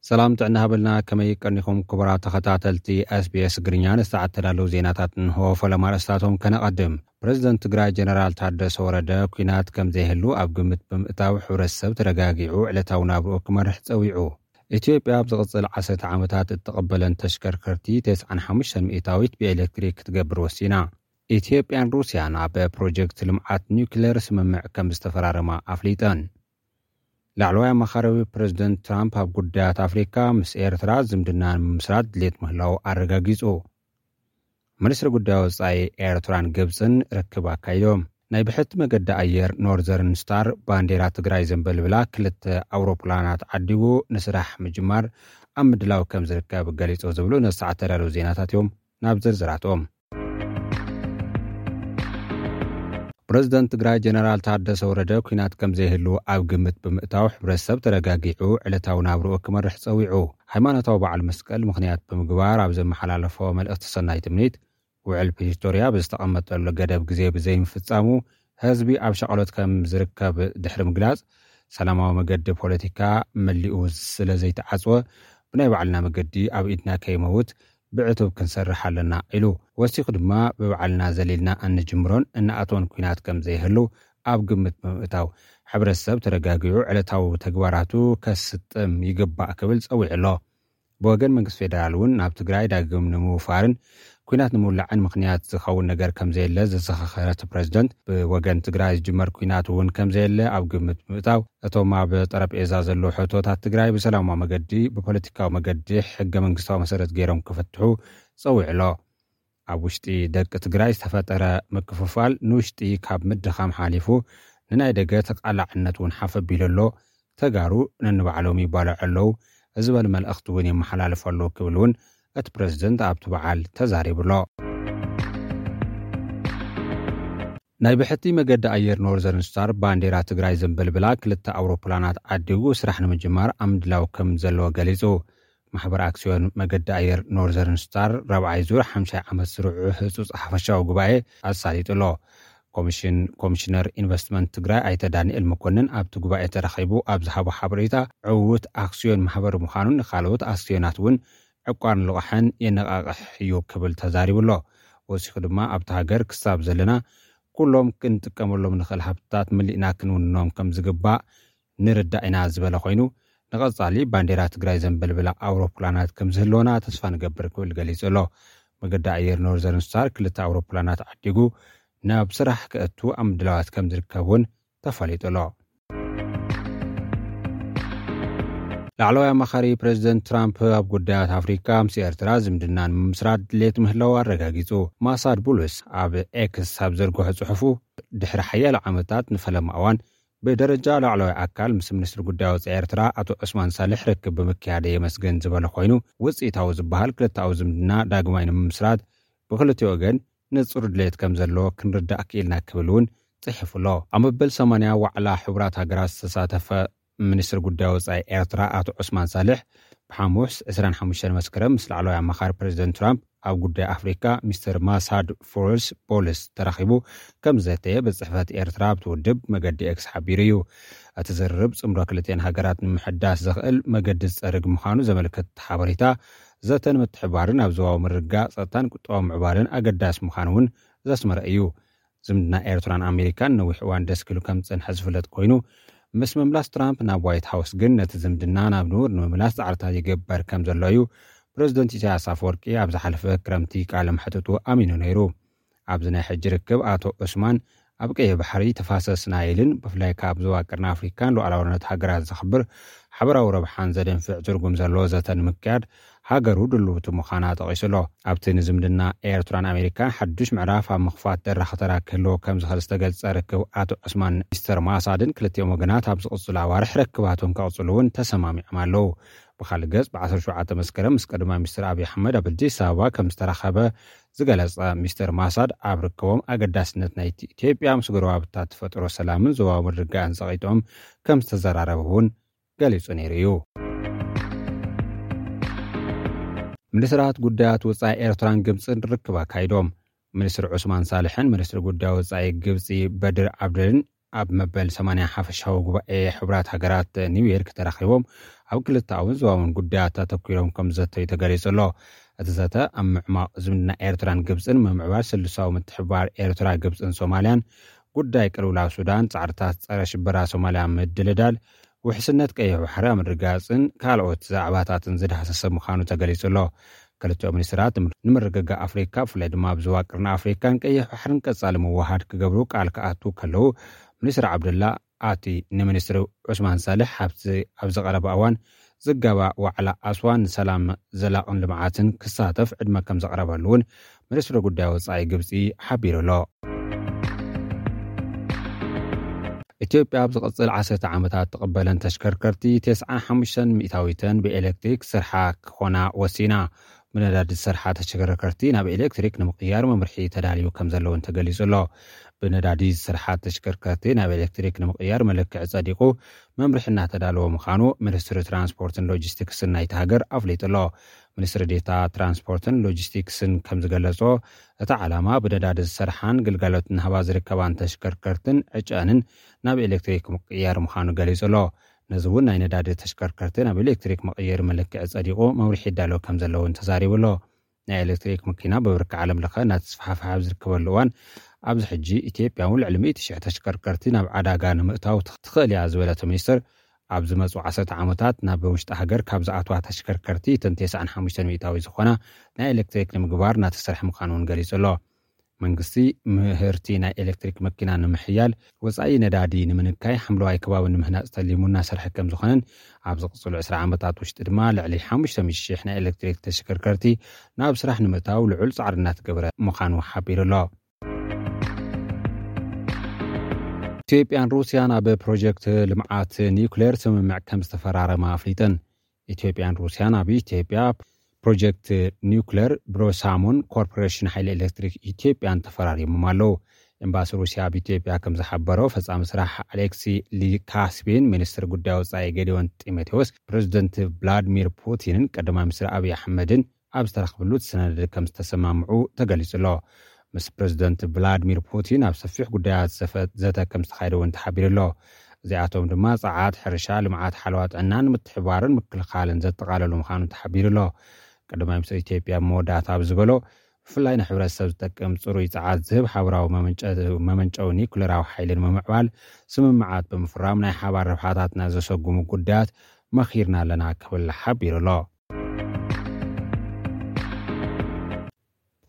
ሰላም ጥዕና ሃበልና፣ ከመይ ቀኒኹም ክቡራት ተኸታተልቲ ኤስቢኤስ ትግርኛ? ንሰዓት ተዳለዉ ዜናታት እንሆ። ፈለማ ኣርእስታቶም ከነቐድም። ፕረዚደንት ትግራይ ጀነራል ታደሰ ወረደ ኲናት ከም ዘይህሉ ኣብ ግምት ብምእታው ሕብረተሰብ ተረጋጊዑ ዕለታዊ ናብርኡ ክመርሕ ጸዊዑ። ኢትዮጵያ ኣብ ዝቕጽል ዓሰርተ ዓመታት እትቕበለን ተሽከርከርቲ ተስዓን ሓሙሽተን ሚእታዊት ብኤሌክትሪክ ክትገብር ወሲና። ኢትዮጵያን ሩስያን ኣብ ፕሮጀክት ልምዓት ኒውክሌር ስምምዕ ከም ዝተፈራረማ ኣፍሊጠን። ላዕለዋይ ኣማኻሪ ፕረዚደንት ትራምፕ ኣብ ጉዳያት ኣፍሪካ ምስ ኤርትራ ዝምድና ንምምስራት ድሌት ምህላው ኣረጋጊጹ። ሚኒስትሪ ጉዳይ ወጻኢ ኤርትራን ግብጽን ርክብ ኣካይዶም። ናይ ብሕቲ መገዲ ኣየር ኖርዘርን ስታር ባንዴራ ትግራይ ዘንበልብላ ክልተ ኣውሮፕላናት ዓዲጉ ንስራሕ ምጅማር ኣብ ምድላው ከም ዝርከብ ገሊጹ ዝብሉ ነሰዓት ተዳለዉ ዜናታት እዮም። ናብ ዝርዝራቶም። ፕረዚደንት ትግራይ ጀነራል ታደሰ ወረደ ኲናት ከም ዘይህሉ ኣብ ግምት ብምእታው ሕብረተሰብ ተረጋጊዑ ዕለታዊ ናብርኡ ክመርሕ ጸዊዑ። ሃይማኖታዊ በዓል መስቀል ምኽንያት ብምግባር ኣብ ዘመሓላለፎ መልእኽቲ ሰናይ ትምኒት፣ ውዕል ፕሪቶርያ ብዝተቐመጠሉ ገደብ ግዜ ብዘይምፍጻሙ ህዝቢ ኣብ ሸቐሎት ከም ዝርከብ ድሕሪ ምግላጽ፣ ሰላማዊ መገዲ ፖለቲካ መሊኡ ስለ ዘይተዓጽወ ብናይ ባዕልና መገዲ ኣብ ኢድና ከይመውት ብዕቱብ ክንሰርሕ ኣለና ኢሉ። ወሲኹ ድማ ብባዕልና ዘሊልና እንጅምሮን እንኣትዎን ኲናት ከም ዘይህሉ ኣብ ግምት ብምእታው ሕብረተሰብ ተረጋጊዑ ዕለታዊ ተግባራቱ ከስጥም ይግባእ ክብል ጸዊዑ ኣሎ። ብወገን መንግስቲ ፌደራል እውን ናብ ትግራይ ዳግም ንምውፋርን ኲናት ንምውላዕን ምኽንያት ዝኸውን ነገር ከም ዘየለ ዘዘኻኸረ እቲ ፕረዚደንት፣ ብወገን ትግራይ ዝጅመር ኲናት እውን ከም ዘየለ ኣብ ግምት ብምእታው፣ እቶም ኣብ ጠረጴዛ ዘለዉ ሕቶታት ትግራይ ብሰላማዊ መገዲ፣ ብፖለቲካዊ መገዲ፣ ሕገ መንግስታዊ መሰረት ገይሮም ክፍትሑ ጸዊዑ ኣሎ። ኣብ ውሽጢ ደቂ ትግራይ ዝተፈጠረ ምክፍፋል ንውሽጢ ካብ ምድኻም ሓሊፉ ንናይ ደገ ተቓላዕነት እውን ሓፍ ኣቢሉ ኣሎ። ተጋሩ ነንባዕሎም ይባልዑ ኣለዉ። እዚ በል መልእኽቲ እውን የመሓላልፉ ኣለዉ ክብል እውን እቲ ፕረዚደንት ኣብቲ በዓል ተዛሪቡ ኣሎ። ናይ ብሕቲ መገዲ ኣየር ኖርዘርን ስታር ባንዴራ ትግራይ ዘንበልብላ ክልተ ኣውሮፕላናት ዓዲጉ ስራሕ ንምጅማር ኣብ ምድላው ከም ዘለዎ ገሊጹ። ማሕበር ኣክሲዮን መገዲ ኣየር ኖርዘርን ስታር ራብዓይ ዙር ሓምሻይ ዓመት ስርዑ ህጹጽ ሓፈሻዊ ጉባኤ ኣሳሊጡ ኣሎ። ኮሚሽን ኮሚሽነር ኢንቨስትመንት ትግራይ ኣይተ ዳንኤል መኮንን ኣብቲ ጉባኤ ተረኺቡ ኣብ ዝሃቦ ሓበሬታ፣ ዕዉት ኣክሲዮን ማሕበር ምዃኑን ንኻልኦት ኣክሲዮናት እውን ዕቋርን ልቓሕን የነቓቕሕ እዩ ክብል ተዛሪቡ ኣሎ። ወሲኹ ድማ ኣብቲ ሃገር ክሳብ ዘለና ኩሎም ክንጥቀመሎም ንኽእል ሃብትታት መሊእና ክንውንኖም ከም ዝግባእ ንርዳእ ኢና ዝበለ ኮይኑ፣ ንቐጻሊ ባንዴራ ትግራይ ዘንበልብላ ኣውሮፕላናት ከም ዝህልወና ተስፋ ንገብር ክብል ገሊጹ ኣሎ። መገዲ ኣየር ኖርዘርን ስታር ክልተ ኣውሮፕላናት ዓዲጉ ናብ ስራሕ ክእቱ ኣብ ምድላዋት ከም ዝርከብ እውን ተፈሊጡ ኣሎ። ላዕለዋይ ኣማኻሪ ፕረዚደንት ትራምፕ ኣብ ጉዳያት ኣፍሪካ ምስ ኤርትራ ዝምድና ንምምስራት ድሌት ምህላው ኣረጋጊጹ። ማሳድ ቡሉስ ኣብ ኤክስ ኣብ ዘርግሖ ጽሑፉ፣ ድሕሪ ሓያሎ ዓመታት ንፈለማ እዋን ብደረጃ ላዕለዋይ ኣካል ምስ ሚኒስትሪ ጉዳይ ወጻኢ ኤርትራ ኣቶ ዑስማን ሳልሕ ርክብ ብምክያደ የመስግን ዝበለ ኮይኑ፣ ውጽኢታዊ ዝበሃል ክልተኣዊ ዝምድና ዳግማይ ንምምስራት ብክልቲኡ ወገን ንጹር ድሌት ከም ዘሎ ክንርዳእ ክኢልና ክብል እውን ጽሒፉ ኣሎ። ኣብ መበል ሰማንያ ዋዕላ ሕቡራት ሃገራት ዝተሳተፈ ሚኒስትሪ ጉዳይ ወጻኢ ኤርትራ ኣቶ ዑስማን ሳልሕ ብሓሙስ ዕስራን ሓሙሽተን መስከረም ምስ ላዕለዋይ ኣማኻሪ ፕረዚደንት ትራምፕ ኣብ ጉዳይ ኣፍሪካ ሚስተር ማሳድ ፎርስ ቦልስ ተራኺቡ ከም ዘተየ ቤት ጽሕፈት ኤርትራ ኣብቲ ውድብ መገዲ ኤክስ ሓቢሩ እዩ። እቲ ዝርርብ ጽምዶ ክልቲኤን ሃገራት ንምሕዳስ ዘኽእል መገዲ ዝጸርግ ምዃኑ ዘመልክት ሓበሬታ፣ ዘተን ምትሕባርን ኣብ ዞባዊ ምርግጋእ፣ ጸጥታን ቁጠባዊ ምዕባለን ኣገዳሲ ምዃኑ እውን ዘስመረ እዩ። ዝምድና ኤርትራን ኣሜሪካን ነዊሕ እዋን ደስኪሉ ከም ዝጸንሐ ዝፍለጥ ኮይኑ፣ ምስ ምምላስ ትራምፕ ናብ ዋይት ሃውስ ግን ነቲ ዝምድና ናብ ንቡር ንምምላስ ጻዕርታት ይግበር ከም ዘሎ እዩ ፕረዚደንት ኢሳያስ ኣፈወርቂ ኣብ ዝሓለፈ ክረምቲ ቃለ መሕትቱ ኣሚኑ ነይሩ። ኣብዚ ናይ ሕጂ ርክብ ኣቶ ዑስማን ኣብ ቀይሕ ባሕሪ ተፋሰስ ናይልን ብፍላይ ካብ ዞባ ቀርኒ ኣፍሪካን ሉዓላውነት ሃገራት ዘኽብር ሓበራዊ ረብሓን ዘደንፍዕ ትርጉም ዘለዎ ዘተ ንምክያድ ሃገሩ ድልውቲ ምዃና ጠቒሱ ኣሎ። ኣብቲ ንዝምድና ኤርትራን ኣሜሪካን ሓዱሽ ምዕራፍ ኣብ ምኽፋት ደራኺ ተራ ክህልዎ ከም ዝኽእል ዝተገልጸ ርክብ ኣቶ ዑስማን ሚስተር ማሳድን ክልቲኦም ወገናት ኣብ ዝቕጽሉ ኣዋርሕ ርክባቶም ከቕጽሉ እውን ተሰማሚዖም ኣለዉ። ብኻልእ ገጽ፣ ብ ዓሰርተ ሸውዓተ መስከረም ምስ ቀዳማይ ሚኒስትር ኣብይ ኣሕመድ ኣብ ኣዲስ ኣበባ ከም ዝተራኸበ ዝገለጸ ሚስተር ማሳድ፣ ኣብ ርክቦም ኣገዳስነት ናይቲ ኢትዮጵያ ምስ ጎረባብታ ትፈጥሮ ሰላምን ዞባዊ ምርግጋእን ጸቒጦም ከም ዝተዘራረቡ እውን ገሊጹ ነይሩ እዩ። ሚኒስትራት ጉዳያት ወጻኢ ኤርትራን ግብጽን ርክብ ኣካይዶም። ሚኒስትር ዑስማን ሳልሕን ሚኒስትር ጉዳይ ወጻኢ ግብጺ በድር ዓብደልን ኣብ መበል ሰማንያ ሓፈሻዊ ጉባኤ ሕቡራት ሃገራት ኒውዮርክ ተራኺቦም ኣብ ክልተኣውን ዞባውን ጉዳያት ኣተኲሮም ከም ዘተዩ ተገሊጹ ኣሎ። እቲ ዘተ ኣብ ምዕማቕ ዝምድና ኤርትራን ግብጽን፣ ምምዕባል ስልሳዊ ምትሕብባር ኤርትራ፣ ግብጽን ሶማልያን፣ ጉዳይ ቅልውላው ሱዳን፣ ጻዕርታት ጸረ ሽበራ ሶማልያ ምድልዳል፣ ውሕስነት ቀይሕ ባሕሪ ኣብ ምርግጋጽን ካልኦት ዛዕባታትን ዝዳህሰሰ ምዃኑ ተገሊጹ ኣሎ። ክልቲኦም ሚኒስትራት ንምርግጋእ ኣፍሪካ፣ ብፍላይ ድማ ኣብ ዞባ ቀርኒ ኣፍሪካን ቀይሕ ባሕርን ቀጻሊ ምውሃድ ክገብሩ ቃል ክኣትዉ ከለዉ፣ ሚኒስትር ዓብደላ ኣቲ ንሚኒስትር ዑስማን ሳልሕ ኣብቲ ኣብ ዝቐረበ እዋን ዝጋባእ ዋዕላ ኣስዋን ንሰላም ዘላቕን ልምዓትን ክሳተፍ ዕድመ ከም ዘቕረበሉ እውን ሚኒስትሪ ጉዳይ ወጻኢ ግብጺ ሓቢሩ ኣሎ። ኢትዮጵያ ኣብ ዝቐጽል ዓሰርተ ዓመታት ትቕበለን ተሽከርከርቲ ተስዓን ሓሙሽተን ሚእታዊተን ብኤሌክትሪክ ስርሓ ክኾና ወሲና። ብነዳዲ ዝሰርሓ ተሽከርከርቲ ናብ ኤሌክትሪክ ንምቕያር መምርሒ ተዳልዩ ከም ዘለውን ተገሊጹ ኣሎ። ብነዳዲ ዝሰርሓ ተሽከርከርቲ ናብ ኤሌክትሪክ ንምቕያር መለክዒ ጸዲቑ መምርሒ እናተዳለወ ምዃኑ ሚኒስትሪ ትራንስፖርትን ሎጂስቲክስን ናይቲ ሃገር ኣፍሊጡ ኣሎ። ሚኒስትሪ ዴታ ትራንስፖርትን ሎጂስቲክስን ከም ዝገለጾ፣ እቲ ዓላማ ብነዳዲ ዝሰርሓን ግልጋሎት እናሃባ ዝርከባን ተሽከርከርትን ዕጨንን ናብ ኤሌክትሪክ ምቅያር ምዃኑ ገሊጹ ኣሎ። ነዚ እውን ናይ ነዳዲ ተሽከርከርቲ ናብ ኤሌክትሪክ መቐየሪ መለክዒ ጸዲቑ መምርሒ ይዳሎ ከም ዘለውን ተዛሪቡ ኣሎ። ናይ ኤሌክትሪክ መኪና ብብርኪ ዓለም ለኸ እናተስፋሕፈሐ ኣብ ዝርከበሉ እዋን፣ ኣብዚ ሕጂ ኢትዮጵያ እውን ልዕሊ ሚእቲ ሽሕ ተሽከርከርቲ ናብ ዓዳጋ ንምእታው ትኽ- ትኽእል እያ ዝበለቶ ሚኒስትር፣ ኣብ ዝመፁ ዓሰርተ ዓመታት ናብ ውሽጢ ሃገር ካብ ዝኣትዋ ተሽከርከርቲ እተን ተስዓን ሓሙሽተን ሚእታዊ ዝኾና ናይ ኤሌክትሪክ ንምግባር እናተሰርሐ ምዃኑ እውን ገሊጹ ኣሎ። መንግስቲ ምህርቲ ናይ ኤሌክትሪክ መኪና ንምሕያል፣ ወፃኢ ነዳዲ ንምንካይ፣ ሓምለዋይ ከባቢ ንምህናፅ ተሊሙ እናሰርሐ ከም ዝኾነን፣ ኣብ ዝቕፅሉ ዕስራ ዓመታት ውሽጢ ድማ ልዕሊ ሓሙሽተ ሚእቲ ሽሕ ናይ ኤሌክትሪክ ተሽከርከርቲ ናብ ስራሕ ንምእታው ልዑል ፃዕሪ እናተገበረ ምዃኑ ሓቢሩ ኣሎ። ኢትዮጵያን ሩስያን ኣብ ፕሮጀክት ልምዓት ኒውክሌር ስምምዕ ከም ዝተፈራረማ ኣፍሊጠን። ኢትዮጵያን ሩስያን ኣብ ኢትዮጵያ ፕሮጀክት ኒውክሌር ብሮሳሞን ኮርፖሬሽን ሓይሊ ኤሌክትሪክ ኢትዮጵያን ተፈራሪሞም ኣለዉ። ኤምባሲ ሩስያ ኣብ ኢትዮጵያ ከም ዝሓበሮ፣ ፈጻሚ ስራሕ ኣሌክሲ ሊካስቢን፣ ሚኒስትር ጉዳይ ወጻኢ ጌዲዮን ጢሞቴዎስ፣ ፕሬዚደንት ቭላድሚር ፑቲንን ቀዳማይ ሚኒስትር ኣብይ ኣሕመድን ኣብ ዝተረኽብሉ እቲ ሰነድ ከም ዝተሰማምዑ ተገሊጹ ኣሎ። ምስ ፕሬዚደንት ቭላድሚር ፑቲን ኣብ ሰፊሕ ጉዳያት ዘፈ- ዘተ ከም ዝተኻየደ እውን ተሓቢሩ ኣሎ። እዚኣቶም ድማ ጸዓት፣ ሕርሻ፣ ልምዓት ሓለዋ ጥዕናን ምትሕባርን ምክልኻልን ዘጠቓለሉ ምዃኑ ተሓቢሩ ኣሎ። ቀዳማይ ሚኒስትር ኢትዮጵያ ኣብ መወዳእታ ኣብ ዝበሎ፣ ብፍላይ ንሕብረተሰብ ዝጠቅም ጽሩይ ጸዓት ዝህብ ሓበራዊ መመንጨ- መመንጨዊ ኒኩሌራዊ ሓይሊ ንምምዕባል ስምምዓት ብምፍራም ናይ ሓባር ረብሓታትና ዘሰጉሙ ጉዳያት መኺርና ኣለና ክብል ሓቢሩ ኣሎ።